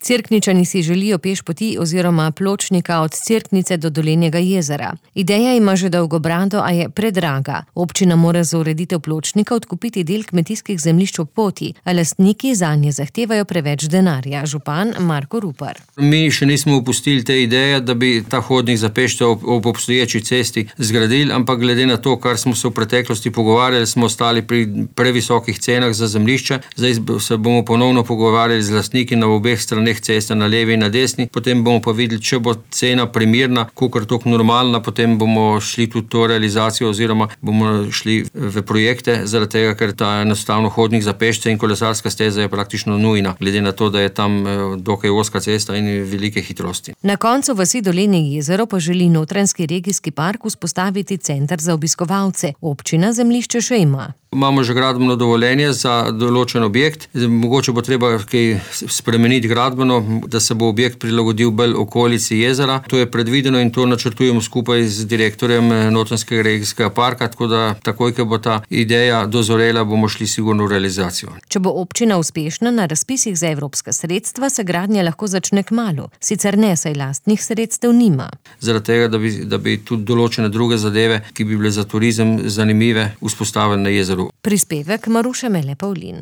Cerkničani si želijo pešpoti oziroma pločnika od Cerknice do Dolenjega jezera. Ideja ima že dolgo brado, a je predraga. Občina mora za ureditev pločnika odkupiti del kmetijskih zemljišč ob poti, a lastniki zanje zahtevajo preveč denarja. Župan Marko Rupar. Mi še nismo opustili te ideje, da bi ta hodnik za pešce ob obstoječi cesti zgradili, ampak glede na to, kar smo se v preteklosti pogovarjali, smo ostali pri previsokih cenah za zemljišče. Zdaj se bomo ponovno pogovarjali z lastniki na obeh straneh ceste, na levi in na desni. Potem bomo pa videli, če bo cena primirna, kakor tako normalna, potem bomo šli tudi to realizacijo oziroma bomo šli v projekte, zaradi tega, ker ta enostavno hodnik za pešce in kolesarska steza je praktično nujna, glede na to, da je tam dokaj ozka cesta in velike hitrosti. Na koncu vasi Dolenje jezero pa želi Notranjski regijski park vzpostaviti center za obiskovalce. Občina zemljišče še ima. Imamo že gradbeno dovoljenje za določen objekt. Mogoče bo treba kaj spremeniti gradbeno, da se bo objekt prilagodil bolj okolici jezera. To je predvideno in to načrtujemo skupaj z direktorjem Notranjskega regijskega parka, tako da takoj, ko bo ta ideja dozorela, bomo šli sigurno v realizacijo. Če bo občina uspešna na razpisih za evropska sredstva, se gradnja lahko začne kmalu. Sicer ne, saj lastnih sredstev nima. Zaradi tega, da bi tudi določene druge zadeve, ki bi bile za turizem zanimive, vzpostavili na jezeru. Prispevek Maruše Mele Pavlin.